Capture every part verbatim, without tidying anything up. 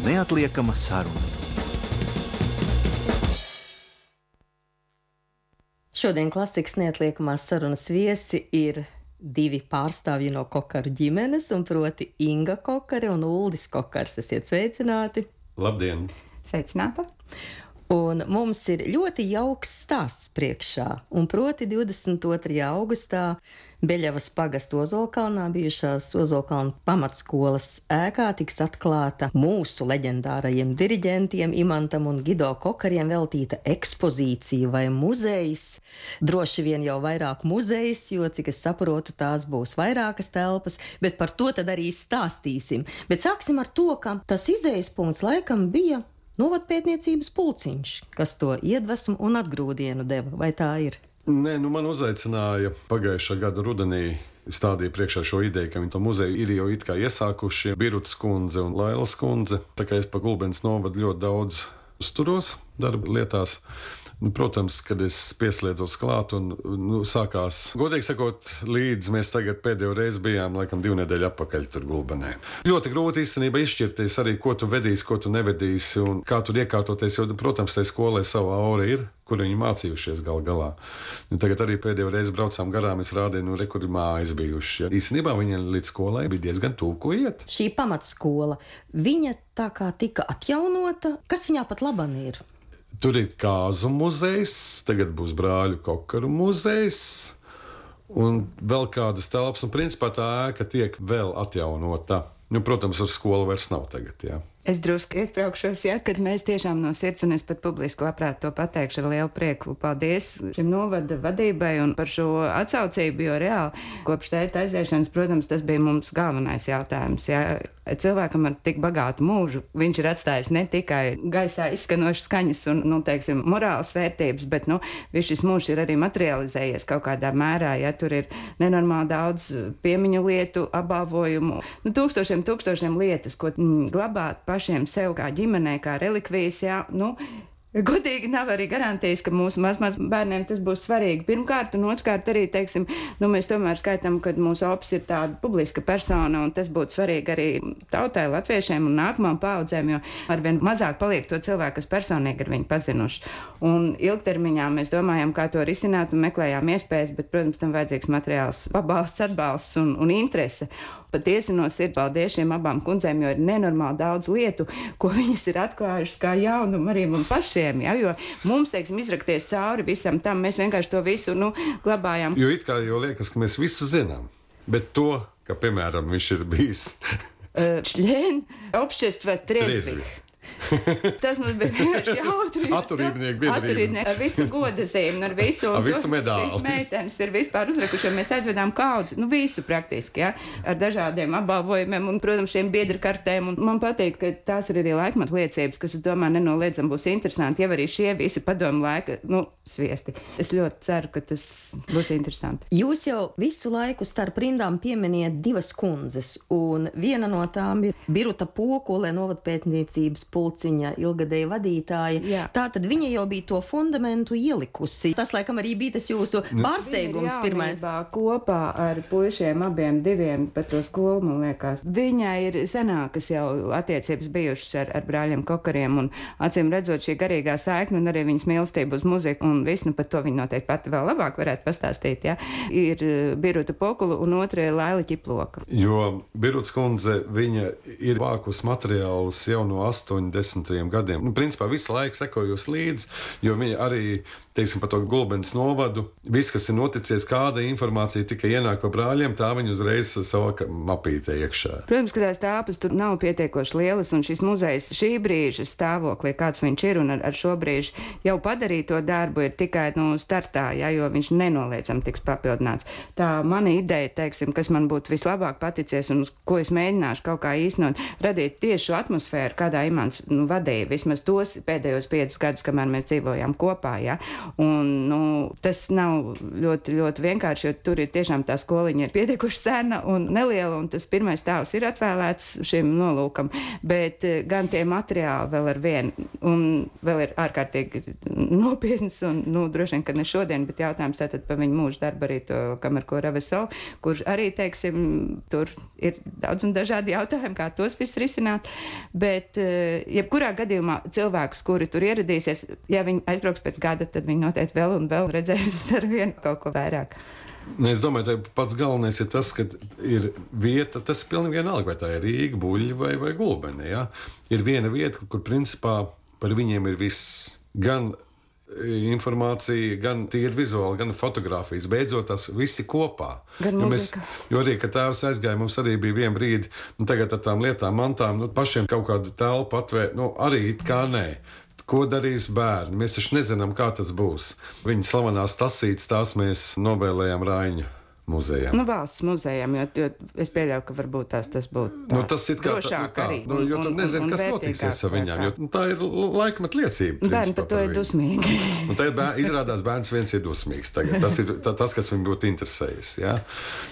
neatliekama saruna. Šodien klasikas neatliekamās sarunas viesi ir divi pārstāvji no Kokaru ģimenes, un proti Inga Kokare un Uldis Kokars. Esiet sveicināti! Labdien! Sveicināta! Un mums ir ļoti jauks stāsts priekšā, un proti divdesmit otrajā augustā Beļavas pagasta Ozolkalnā bijušās Ozolkalna pamatskolas ēkā tiks atklāta mūsu leģendārajiem diriģentiem Imantam un Gido Kokariem veltīta ekspozīcija vai muzejs. Droši vien jau vairāk muzejs, jo, cik es saprotu, tās būs vairākas telpas, bet par to tad arī stāstīsim. Bet sāksim ar to, ka tas izējas punkts laikam bija novadpētniecības pulciņš, kas to iedvesmu un atgrūdienu deva, vai tā ir? Nē, nu man uzaicināja pagājušā gada rudenī, stādīja priekšā šo ideju, ka viņi to muzeju ir jau it kā iesākuši Birutas kundze un Lailas kundze, tā kā es pa Gulbenes novadu ļoti daudz uzturos darba lietās. Nu, protams, kad es pieslēdzos klāt un nu, sākās, godīgi sakot, līdz mēs tagad pēdējo reizi bijām, laikam, divu nedēļu atpakaļ tur Gulbenē. Ļoti grūti īstenībā izšķirties arī, ko tu vedīsi, ko tu nevedīsi un kā tur iekārtoties, jo, protams, tai skolai sava aura ir, kur viņi mācījušies gal galā. Nu, tagad arī pēdējo reizi braucām garām, es rādīju, nu, re, kur ir mājas bijuši. Ja. Īstenībā viņiem līdz skolai bija diezgan tuvu, ko iet. Šī pamatskola, viņa tā kā tika atjaunota, kas viņā pat laban ir? Tur ir kāzu muzejs, tagad būs brāļu Kokaru muzejs un vēl kādas telpas, un principā tā ēka tiek vēl atjaunota. Nu, protams, ar skolu vairs nav tagad, jā. Es drusku iesprāgšos, ja, kad mēs tiešām no sirds, un es pat publiski labprāt to pateikšu ar lielu prieku. Paldies šim novada vadībai un par šo atsaucību, jo reāli kopš tēta aiziešanas, protams, tas bija mums galvenais jautājums. Ja. Cilvēkam ar tik bagātu mūžu, viņš ir atstājis ne tikai gaisā izskanošas skaņas un, nu, teiksim, morālas vērtības, bet, nu, viss šis mūžs ir arī materializējies kaut kādā mērā, ja tur ir nenormāli daudz piemiņu lietu, apbalvojumu, nu, tūkstošiem, tūkstošiem lietas, ko mm, glabāt pašiem sev kā ģimenei, kā relikvijas, jā, nu, godīgi nav arī garantijas, ka mūsu mazmaz bērniem tas būs svarīgi. Pirmkārt, un otrkārt arī, teiksim, nu, mēs tomēr skaitām, ka mūsu ops ir tāda publiska persona, un tas būtu svarīgi arī tautai, latviešiem un nākamām paaudzēm, jo arvien mazāk paliek to cilvēku, kas personīgi ir viņu pazinuši. Un ilgtermiņā mēs domājam, kā to risināt, un meklējām iespējas, bet, protams, tam vajadzīgs materiāls pabalsts, atbalsts un, un interese. Patiesi no sirds paldies šiem abām kundzēm, jo ir nenormāli daudz lietu, ko viņas ir atklājušas kā jaunumu arī mums pašiem, ja, jo mums, teiksim, izrakties cauri visam tam, mēs vienkārši to visu, nu, glabājām. Jo it kā jau liekas, ka mēs visu zinām, bet to, ka, piemēram, viņš ir bijis Čļēn, obšķestva trezvih. Tas mums bija vienkārši jautri. Atturībnieki biedrības. Ar visu godazīm, ar visu, ar visu medāli. Šīs meitenes ir vispār uzrakuši, mēs aizvedām kaudzi, nu visu praktiski, ja, ar dažādiem apbalvojumiem un, protams, šiem biedra kartēm. Un man patīk, ka tās ir arī laikmatu liecības, kas, es domāju, nenoliedzam būs interesanti, ja arī šie visi padomu laika, nu, sviesti. Es ļoti ceru, ka tas būs interesanti. Jūs jau visu laiku starp rindām pieminiet divas kundzes, un viena no tām ir Biruta Pokule, novadpētniecības pulciņa ilgadēja vadītāja. Jā. Tā tad viņa jau bija to fundamentu ielikusi. Tas, laikam, arī bija tas jūsu pārsteigums pirmais. Kopā ar puišiem abiem diviem par to skolu, man liekas. Viņai ir senākas jau attiecības bijušas ar, ar brāļiem Kokariem, un acīm redzot šī garīgā saikne un arī viņas mīlestība uz muziku, un visu, nu, par to viņa noteikti pati vēl labāk varētu pastāstīt, ja. Ir Biruta Pokula un otra ir Laila Ķiploka. Jo Birutas kundze, viņa ir vākus materiālus jau no astoņdesmitajiem gadiem. Nu, principā visu laiku sekojusi līdzi, jo viņa arī, teiksim, par to Gulbenes novadu, viss, kas ir noticies, kāda informācija tikai ienāk pa brāļiem, tā viņa uzreiz savā mapītē iekšā. Protams, ka tās tāpas tur nav pietiekoši lielas, un šis muzejs šī brīža stāvoklī, kāds viņš ir, un ar, ar šo brīžu jau padarīto darbu ir tikai, nu, startā, ja, jo viņš nenoliedzam tiks papildināts. Tā mana ideja, teiksim, kas man būtu vislabāk paticies, un uz ko es mēģināšu kaut kā īstenot, radīt tieši šo atmosfēru, kādā Imants nu, vadīja vismaz tos pēdējos piecus gadus, kamēr mēs dzīvojām kopā, ja. Un, nu, tas nav ļoti, ļoti vienkārši, jo tur ir tiešām tā skoliņa ir pietiekuši sena un neliela, un tas pirmais tēls ir atvēlēts šim nolūkam, bet gan tie materiāli vēl ar vienu, un vēl ir ārkārtīgi nopietns, un, nu, droši vien, ka ne šodien, bet jautājums tātad par viņu mūžu darbu arī to Kamerko Raveso, kurš arī, teiksim, tur ir daudz un dažādi jautājumi, kā tos viss risināt, bet jebkurā gadījumā cilvēkus, kuri tur ieradīsies, ja viņi aizbrauks pēc gada, tad viņi noteikti vēl un vēl redzēs ar vienu kaut ko vairāk. Es domāju, ka pats galvenais ir tas, ka ir vieta, tas ir pilnīgi vienalga, vai tā ir Rīga, Buļļa vai, vai Gulbene. Ja? Ir viena vieta, kur principā par viņiem ir viss, gan informācija, gan tīri vizuāli, gan fotografijas. Beidzot, tas viss ir kopā. Gan jo, mūzika. mēs, jo arī, kad tēvs aizgāja, mums arī bija viena brīdi, nu, tagad ar tām lietām, mantām, nu, pašiem kaut kādu telpu atvērt, nu, arī it kā nē. Ko darīs bērni? Mēs taču nezinām, kā tas būs. Viņa slavenās tasītes, tās mēs novēlējām Raiņu muzejam. Nu, valsts muzejam, jo, jo es pieļauju, ka varbūt tās tas būtu tā, nu, tas ir kā drošāk tā, arī. Nu, jo tu nezini, kas notiksies ar viņām, jo nu, tā ir laikmeta liecība. Bērni par to ir dusmīgi. Un tā ir bērni, izrādās bērns viens ir dusmīgs tagad. Tas ir tā, tas, kas viņu būtu interesējis. Ja?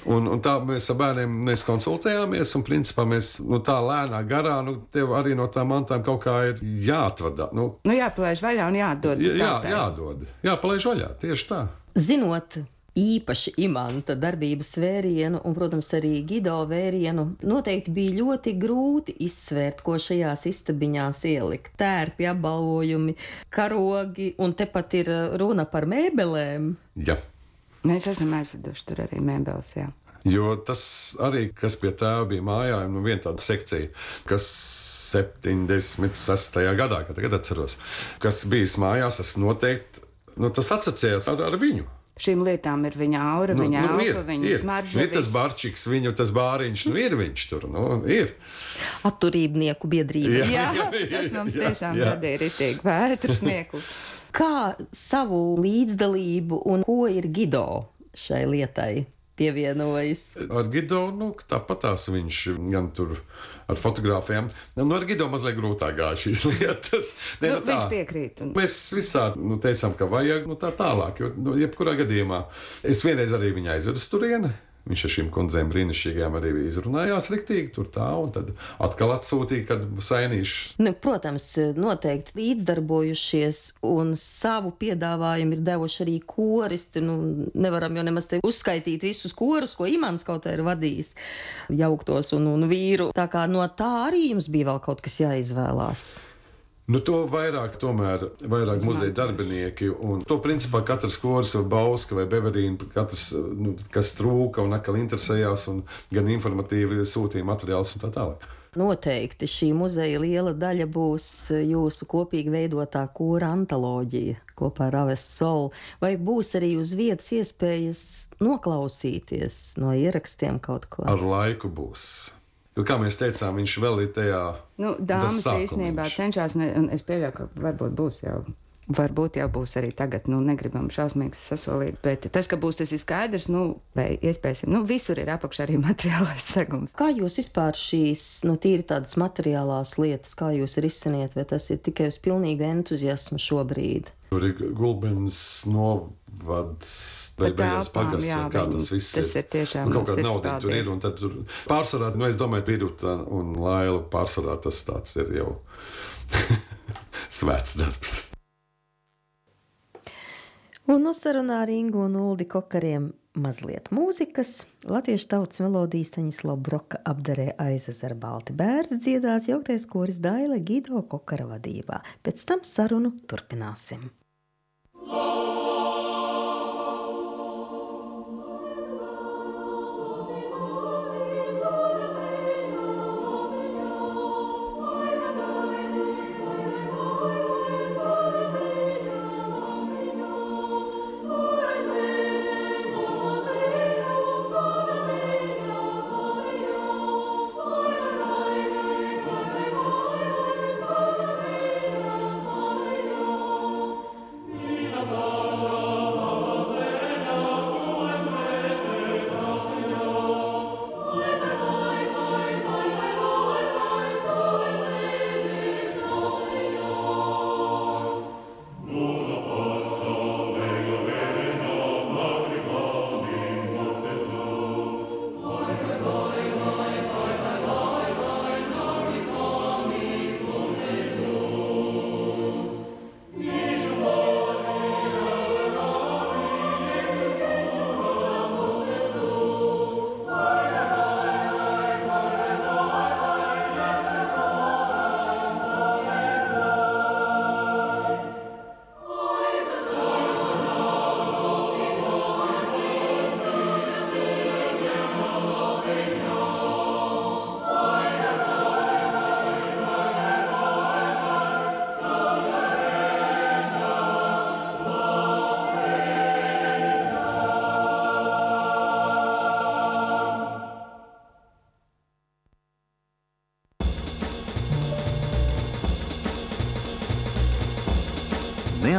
Un, un tā mēs ar bērniem mēs konsultējāmies, un principā mēs nu, tā lēnā garā, nu, tev arī no tām mantām kaut kā ir jāatvadā. Nu, nu jāpalaiž vaļā un jādod. Jā, jā, jādod. Jāpalaiž vaļā, tieši tā. Zinot īpaši Imanta darbības vērienu un, protams, arī Gido vērienu, noteikti bija ļoti grūti izsvērt, ko šajās istabiņās ielikt. Tērpi, apbalvojumi, karogi, un tepat ir runa par mēbelēm. Jā. Mēs esam aizveduši tur arī mēbeles, jā. Jo tas arī, kas pie tēva bija mājā, nu viena tāda sekcija, kas septiņdesmit sestajā gadā, kad tagad atceros, kas bijis mājās, tas noteikti, nu tas asociējās ar, ar viņu. Šīm lietām ir viņa aura, nu, viņa nu, elpa, ir, viņa ir. smarža. Ir tas barčiks, viņu tas bāriņš, nu ir viņš tur, nu ir. Atturībnieku biedrība. Jā, tas mums tiešām radīja ritīgi vētru smieklu. Kā savu līdzdalību un ko ir Gido šai lietai pievienojis? Ar Gido, nu, tāpatās viņš gan tur ar fotogrāfijām. Nu, ar Gido mazliet grūtāk gāja šīs lietas. Ne, Nu, nu, tā. viņš piekrīt. Un... Mēs visā nu, teicām, ka vajag nu, tā tālāk, jo nu, jebkurā gadījumā es vienreiz arī viņu aizvedu uz turieni. Viņš ar šīm kundzēm brīnišķīgām arī izrunājās riktīgi, tur tā, un tad atkal atsūtīja, kad sainīšu. Nu, protams, noteikti līdzdarbojušies un savu piedāvājumu ir devuši arī koristi. Nu, nevaram jau nemaz te uzskaitīt visus korus, ko Imants kaut kā ir vadījis, jauktos un, un vīru. Tā kā no tā arī jums bija vēl kaut kas jāizvēlās. Nu, to vairāk, tomēr, vairāk muzeja darbinieki, un to principā katrs koris vai Bauska vai Beverīna, katrs, nu, kas trūka un atkal interesējās, un gan informatīvi sūtīja materiālus un tā tālāk. Noteikti šī muzeja liela daļa būs jūsu kopīgi veidotā kora antoloģija kopā ar Aves Sol, vai būs arī uz vietas iespējas noklausīties no ierakstiem kaut ko? Ar laiku būs. Jo, kā mēs teicām, viņš vēl ir tajā. Nu, dāmas īstenībā cenšas, un es pieļauju, ka varbūt būs jau. Varbūt jau būs arī tagad, nu, negribam šausmīgi sasolīt, bet tas, ka būs, tas ir skaidrs, nu, vai iespējas, nu, visur ir apakšā arī materiālais segums. Kā jūs vispār šīs, nu, tīri tādas materiālās lietas, kā jūs risiniet, vai tas ir tikai uz pilnīgu entuziasmu šobrīd? Tur ir Gulbenes novads, vai beigās pagasts, jā, kā tas viss tas ir. Tiešām nu, kaut kāda mums nauda tur ir, un tad tur pārsvarā, nu, es domāju, Piruta un Laila pārsvarā tas tāds ir jau svēts darbs. Un uzsarunā ar Ingu un Uldi Kokariem mazliet mūzikas. Latviešu tautas melodijas Staņislava Broka apdarē Aizezera balti bērns dziedās jauktais koris Daile Gido Kokara vadībā. Pēc tam sarunu turpināsim.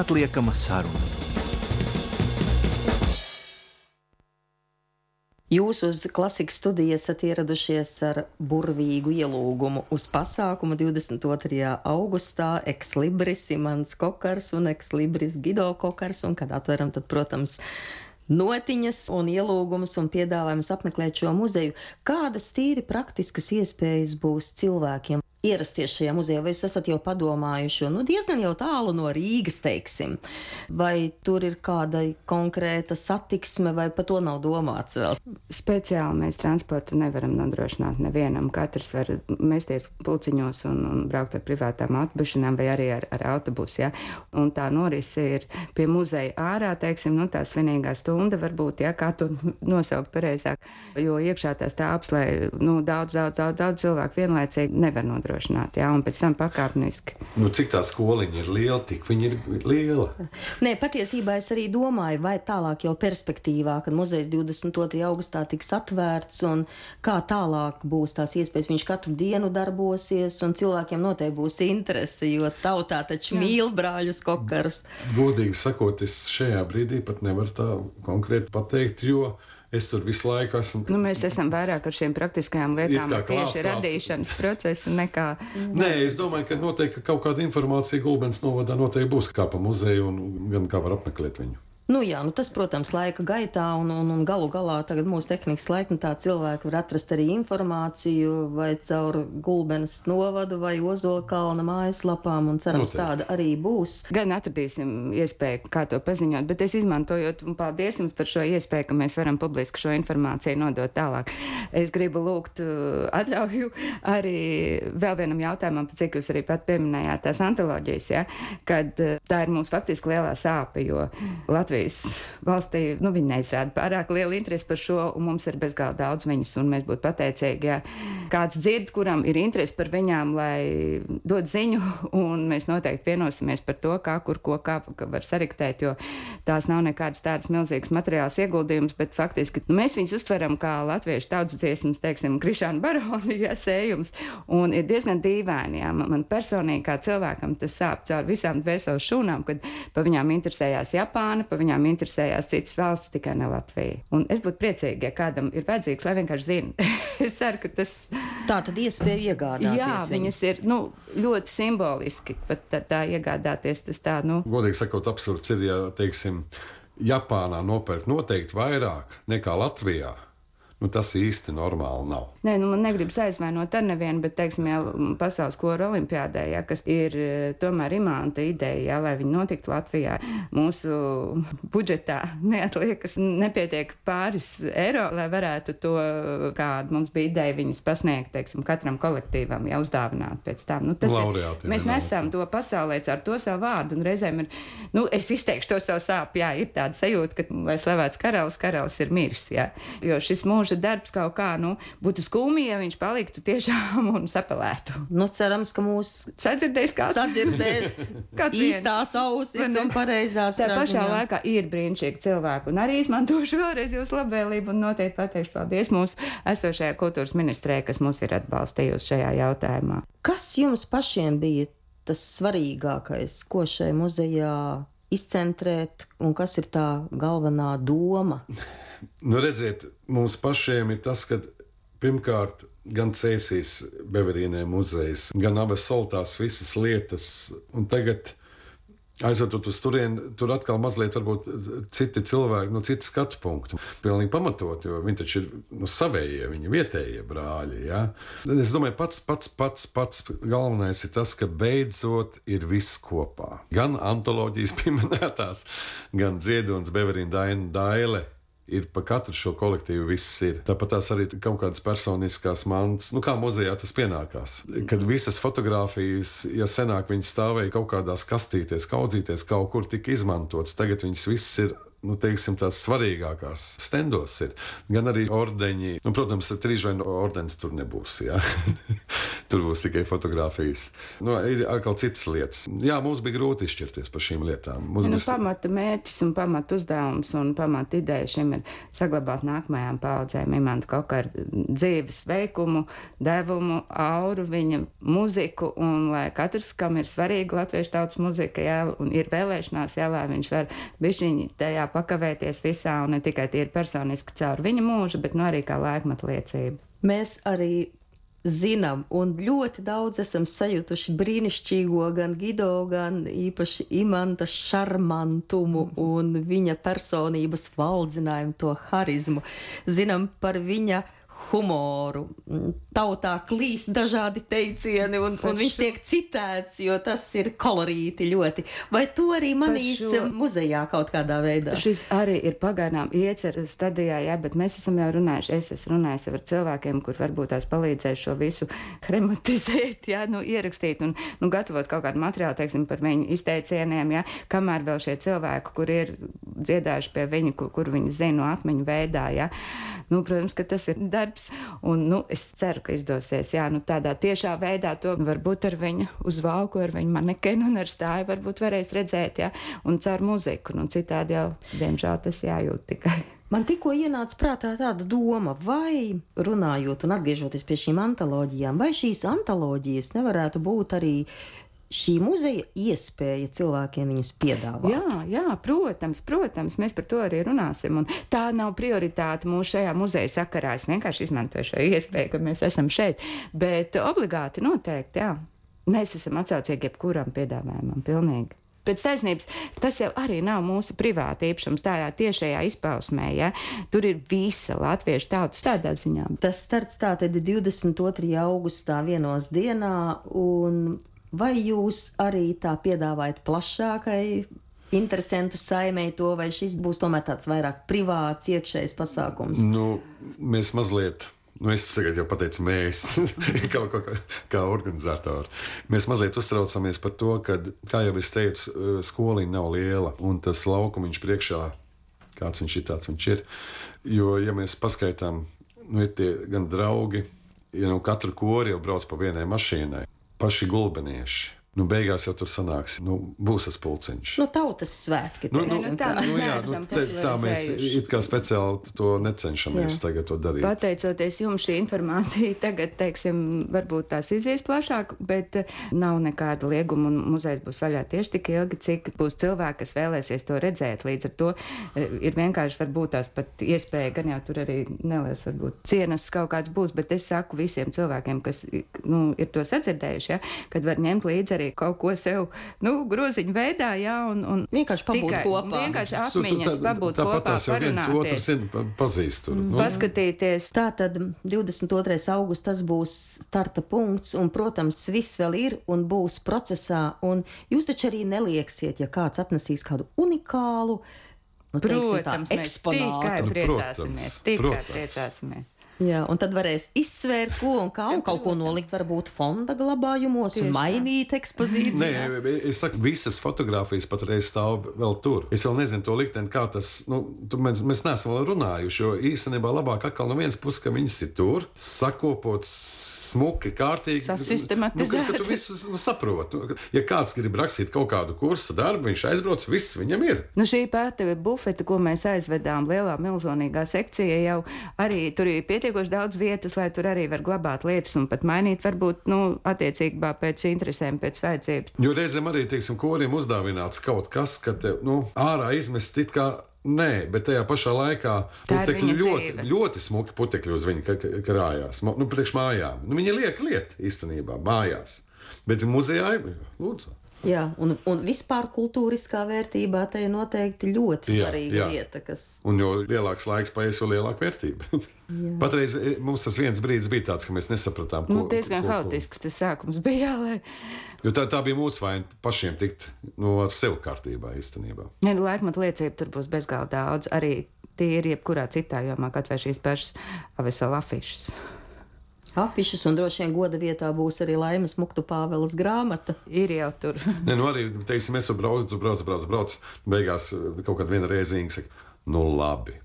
neatliekama saruna. Jūs uz Klasikas studiju esat ieradušies ar burvīgu ielūgumu uz pasākumu divdesmit otrajā augustā Ex Libris Imants Kokars un Ex Libris Gido Kokars, un kad atveram, tad, protams, notiņas un ielūgumus un piedāvājumus apmeklēt šo muzeju. Kādas tīri praktiskas iespējas būs cilvēkiem ierasties šajā muzejā, vai jūs esat jau padomājuši, nu diezgan jau tālu no Rīgas, teiksim, vai tur ir kāda konkrēta satiksme, vai par to nav domāts vēl? Speciāli mēs transportu nevaram nodrošināt nevienam. Katrs var mesties pulciņos un, un braukt ar privātām autobušanām vai arī ar, ar autobusu, ja? Un tā norise ir pie muzeja ārā, teiksim, nu tā svinīgā stunda varbūt, ja, kā to nosaukt pareizāk, jo iekšā tās tāps, lai, nu, daudz, daudz, daudz, daudz cilvēku vienlaicīgi nevar nodrošināt. Jā, un pēc tam pakāpeniski. Nu, cik tā skoliņa ir liela, tik viņa ir liela. Nē, patiesībā es arī domāju, vai tālāk jau perspektīvā, kad muzejs divdesmit otrajā augustā tiks atvērts un kā tālāk būs tās iespējas. Viņš katru dienu darbosies un cilvēkiem noteikti būs interese, jo tautā taču Jā. Mīl brāļus Kokarus. Godīgi sakot, es šajā brīdī pat nevaru tā konkrēti pateikt, jo es tur visu laiku esmu. Nu, mēs esam vairāk ar šiem praktiskajām lietām, klāt, tieši klāt. radīšanas procesu nekā. Nē, es domāju, ka noteikti ka kaut kāda informācija Gulbenes novadā noteikti būs kā pa muzeju un gan kā var apmeklēt viņu. Nu jā, nu tas, protams, laika gaitā un, un, un galu galā tagad mūsu tehnikas laikmetā cilvēki var atrast arī informāciju vai caur Gulbenes novadu vai Ozolkalna mājaslapām, un cerams Noteikti. Tāda arī būs. Gan atradīsim iespēju, kā to paziņot, bet es izmantojot, un paldies jums par šo iespēju, ka mēs varam publiski šo informāciju nodot tālāk. Es gribu lūgt uh, atļauju arī vēl vienam jautājumam, cik jūs arī pat pieminējāt tās antoloģijas, ja, kad uh, tā ir mums faktiski lielā sāpe, jo Latvijas valstī, nu, viņi neizrāda pārāk lielu interesi par šo, un mums ir bezgalīgi daudz viņas, un mēs būtu pateicīgi, ja kāds dzird, kuram ir interesi par viņām, lai dod ziņu, un mēs noteikti vienosimies par to, kā, kur, ko, kā var sariktēt, jo tās nav nekādas tādas milzīgas materiāls ieguldījums, bet faktiski nu, mēs viņus uztveram kā latviešu tautas dziesmas, teiksim, Krišāna Baroni, ja, sējums, un ir diezgan dīvaini, ja, man personīgi kā cilvēkam tas sāp caur visām dvēseles šūnām, kad pa viņām interesējās Japāna, pa viņām interesējās citas valsts, tikai ne Latvija. Un es būtu priecīgi, ja kādam ir vajadzīgs, lai vienkārši zina. Es ceru, ka tas... Tā tad iespēja iegādāties. Jā, viņas ir, nu, ļoti simboliski, pat tā, tā iegādāties, tas tā, nu... Godīgi sakot, absurds ir, ja, teiksim, Japānā nopērk noteikti vairāk nekā Latvijā. Nu, tas īsti normāli nav. Nē, nu man negribas aizvainot ar nevienu, bet, teiksim, jā, pasaules kora olimpiādē, jā, kas ir tomēr imanta ideja, jā, lai viņi notiktu Latvijā. Mūsu budžetā neatliekas, nepietiek pāris eiro, lai varētu to, kāda mums bija ideja viņas pasniegt, teiksim, katram kolektīvam, jā, uzdāvināt pēc tam. Nu, tas Laureāti, ir, mēs nesam to pasaulē ar to savu vārdu, un reizēm ir, nu, es izteikšu to savu sāpu, jā, ir tāda sajūta, ka, lai slavēts karalis, karalis ir miris, jā, jo šis mūža darbs kaut kā, nu, būtu skumji, ja viņš paliktu tiešām un sapelētu. Nu, cerams, ka mūs sadzirdēs kāds. Sadzirdēs īstās ausis un pareizās Tā pašā praziņā. laikā ir brīnišķīgi cilvēki, un arī izmantošu vēlreiz jūsu labvēlību un noteikti pateikšu paldies mūsu esošajā kultūras ministrē, kas mūs ir atbalstījusi šajā jautājumā. Kas jums pašiem bija tas svarīgākais, ko šai muzejā izcentrēt, un kas ir tā galvenā doma? Nu, redziet, mums pašiem ir tas, ka pirmkārt gan Cēsīs Beverīnē muzejs, gan abas soltās visas lietas, un tagad aizvedot uz turieni, tur atkal mazliet varbūt citi cilvēki, no citas skatu punktu. Pilnīgi pamatot, jo viņi taču ir nu, savējie, viņi vietējie brāļi, ja? Es domāju, pats, pats, pats, pats galvenais ir tas, ka beidzot ir viss kopā. Gan antoloģijas pieminētās, gan Ziedonis, Beverīna, Daina, Daile. Ir pa katru šo kolektīvu viss ir. Tāpat tās arī kaut kādas personiskās mantas, nu kā muzejā tas pienākās. Kad visas fotogrāfijas, ja senāk viņas stāvēja kaut kādās kastīties, kaudzīties, kaut kur tika izmantotas, tagad viņas viss ir, nu teiksim, tās svarīgākās stendos ir. Gan arī ordeņi, nu protams, trīžvainu ordens tur nebūs, jā. Tur būs tikai fotografijas. Nu, ir atkal citas lietas. Jā, mums bija grūti izšķirties par šīm lietām. Mums nu, bija... Pamata mērķis un pamata uzdevums un pamata ideja šim ir saglabāt nākamajām paudzēm Imanta Kokara dzīves veikumu, devumu, auru, viņa muziku, un lai katrs, kam ir svarīga latviešu tautas muzika, jā, un ir vēlēšanās, jā, lai viņš var bišķiņi tajā pakavēties visā, un ne tikai tīri personiski caur viņa mūžu, bet nu arī kā laikmata liecība. Mēs arī zinām, un ļoti daudz esam sajutuši brīnišķīgo gan Gido, gan īpaši Imanta šarmantumu un viņa personības valdzinājumu, to harizmu. Zinām par viņa humoru. Tautā klīst dažādi teicieni, un, un viņš tiek citēts, jo tas ir kolorīti ļoti. Vai to arī manīs šo... muzejā kaut kādā veidā? Šis arī ir pagaidām ieceru stadijā, jā, bet mēs esam jau runājuši, es esmu runājis ar cilvēkiem, kur varbūt tās palīdzēs šo visu krematizēt, jā, nu, ierakstīt un nu, gatavot kaut kādu materiālu, teiksim, par viņu izteicieniem, jā, kamēr vēl šie cilvēki, kur ir dziedājuši pie viņa, kur, kur viņi zina no atmiņu veidā, jā. Nu, protams, ka tas ir darbs, un, nu, es ceru, ka izdosies, jā, nu, tādā tiešā veidā to varbūt ar viņa uzvalku, ar viņa manekenu un ar stāju varbūt varēs redzēt, jā, un caur muziku, nu, citādi jau, diemžēl, tas jājūt tikai. Man tikko ienāca prātā tāda doma, vai runājot un atgriežoties pie šīm antoloģijām, vai šīs antoloģijas nevarētu būt arī šī muzeja iespēja cilvēkiem viņas piedāvāt. Jā, jā, protams, protams, mēs par to arī runāsim, un tā nav prioritāte mūsu šajā muzeja sakarā. Es vienkārši izmantoju šo iespēju, ka mēs esam šeit, bet obligāti noteikti, jā. Mēs esam atsaucīgi jebkuram piedāvājumam, pilnīgi. Pēc taisnības, tas jau arī nav mūsu privāta īpašums tādā tiešajā izpausmē, ja? Tur ir visa latviešu tautas tādā ziņā. Tas starts tātad divdesmit otrajā augustā vienos dienā, un vai jūs arī tā piedāvājat plašākai interesantu saimei to, vai šis būs tomēr tāds vairāk privāts, iekšējs pasākums? Nu, mēs mazliet, nu es tagad jau pateicu mēs, kā, kā, kā organizatori, mēs mazliet uztraucamies par to, ka, kā jau es teicu, skoliņa nav liela, un tas laukumiņš priekšā, kāds viņš ir, tāds viņš ir. Jo, ja mēs paskaitām, nu ir tie gan draugi, ja nu katru kori jau brauc pa vienai mašīnai, paši gulbenieši. Nu, beigās jau tur sanāks, nu, būs tas pulciņš. Nu, tautas svētki. Nu, nu, nu, tā mēs nu, jā, neesam nu, te, tā mēs it kā speciāli to necenšamies jā. Tagad to darīt. Pateicoties jums šī informācija tagad, teiksim, varbūt tās izies plašāk, bet nav nekāda lieguma un muzejs būs vaļā tieši tik ilgi, cik būs cilvēki, kas vēlēsies to redzēt. Līdz ar to ir vienkārši varbūt tās pat iespēja, gan jau tur arī neliels varbūt cienas kaut kāds būs, bet es saku visiem cilvēkiem, kas, nu, ir to sadzirdējuši, ja, kad var ņemt līdzi arī kaut ko sev, nu, groziņu veidā, jā, un, un vienkārši pabūt tikai, kopā. Vienkārši atmiņas, pabūt tā, tā, kopā, jau viens otru zina, pazīst tur. Nu. Paskatīties. Tātad divdesmit otrais augusts tas būs starta punkts, un, protams, viss vēl ir un būs procesā, un jūs taču arī nelieksiet, ja kāds atnesīs kādu unikālu, nu, teiksim tā, protams, eksponātu. Tikai Nu, priecāsimies, protams, tikai protams. priecāsimies. Jā, un tad varēs izsvērt, ko un kā, un kaut ko nolikt varbūt fonda glabājumos un mainīt ekspozīciju. Nē, es saku, visas fotogrāfijas patreiz stāv vēl tur. Es vēl nezinu to likteni, kā tas, nu, tu, mēs, mēs neesam vēl runājuši, jo īstenībā labāk atkal no vienas puses, ka viņas ir tur, sakopots, smuki, kārtīgi. Sasystematizēti. Nu, ka tu visu nu, saproti. Ja kāds grib rakstīt kaut kādu kursa darbu, viņš aizbrauc, viss viņam ir. Nu, šī pēta bufeta, ko mēs aizvedām lielā milzonīgā sekcija, jau arī tur ir pietiekoši daudz vietas, lai tur arī var glabāt lietas un pat mainīt, varbūt, nu, attiecībā pēc interesēm, pēc vajadzības. Jo reizēm arī, teiksim, koriem uzdāvināts kaut kas, ka te, nu, ārā izmest it kā nē, bet tajā pašā laikā putekļi ļoti, ļoti smuki putekļi uz viņu krājās, nu, priekš mājām. Nu, viņi liek liet īstenībā mājās, bet muzejā, lūdzu. Jā, un, un vispār kultūriskā vērtībā te ir noteikti ļoti svarīga jā, jā. Lieta, kas... Un jo lielāks laiks paies, jo lielāka vērtība. Patreiz mums tas viens brīdis bija tāds, ka mēs nesapratām, ko... Nu, diezgan haotisks tas sākums bija, lai... Jo tā, tā bija mūsu vaina pašiem tikt, nu, ar sevi kārtībā īstenībā. Ja, laikmata liecība tur būs bezgalā daudz, arī tie ir jebkurā citā jomā, kaut vai šīs pašas avesela afišas. Afišas, un droši vien goda vietā būs arī Laimas Muktu Pāveles grāmata. Ir jau tur. Nē, nu arī, teiksim, es braucu, braucu, braucu, braucu, beigās kaut kādā viena reizīga saka, nu labi,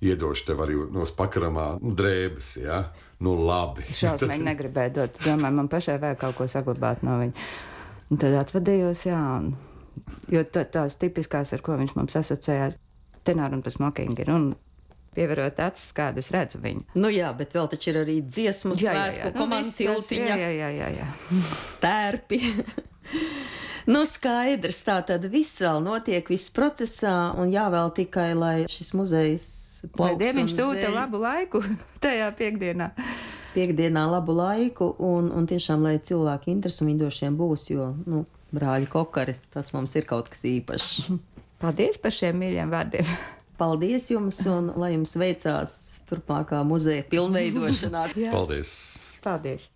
iedošu tev arī no pakaramā drēbes, ja? Nu labi. Šausmīgi negribēju dot. Domāju, man pašai vajag kaut ko saglabāt no viņa. Un tad atvadījos, jā. Un, jo tā, tās tipiskās, ar ko viņš mums asociējās, tenāri un pa smokingi ir. Un pievarot acis, kādu es redzu viņu. Nu jā, bet vēl taču ir arī dziesmu svētku, komandas tiltiņa. Jā, jā, jā, jā. Tērpi. Nu, skaidrs, tā tad viss vēl notiek, viss procesā, un jāvēl tikai, lai šis muzejs plaukst. Lai Dieviņš sūta labu laiku tajā piekdienā. Piekdienā labu laiku, un, un tiešām, lai cilvēki interesi un vindošiem būs, jo, nu, brāļi Kokari, tas mums ir kaut kas īpašs. Paldies par šiem mīļiem vārdiem. Paldies jums, un lai jums veicās turpmākā muzeja pilnveidošanā. Paldies! Paldies!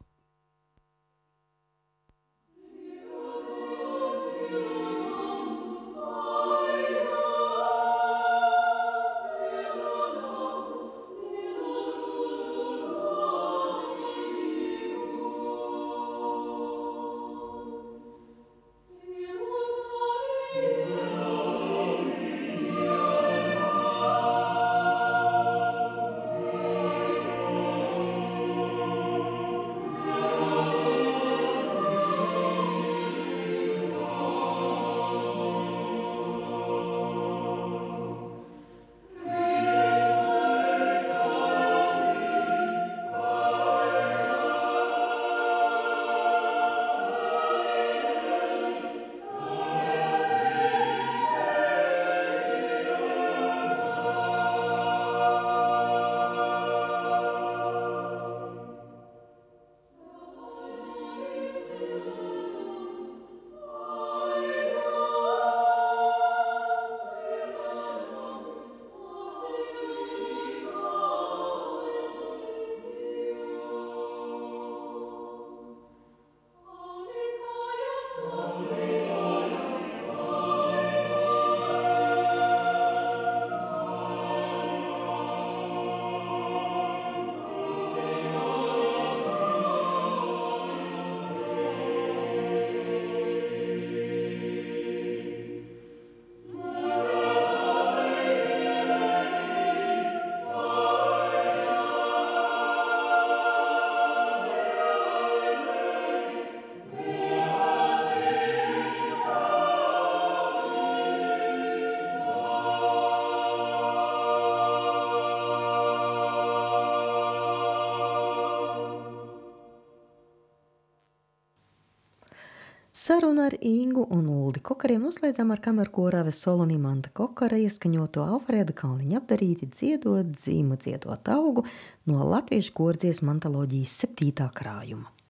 Sarunu ar Ingu un Uldi Kokariem noslēdzām ar kamerkora Vesolu un Imanta Kokara ieskaņoto Alfrēda Kalniņa apdarīti dziedot dzīmu dziedot augu no latviešu kordziesmu antoloģijas septītā krājuma.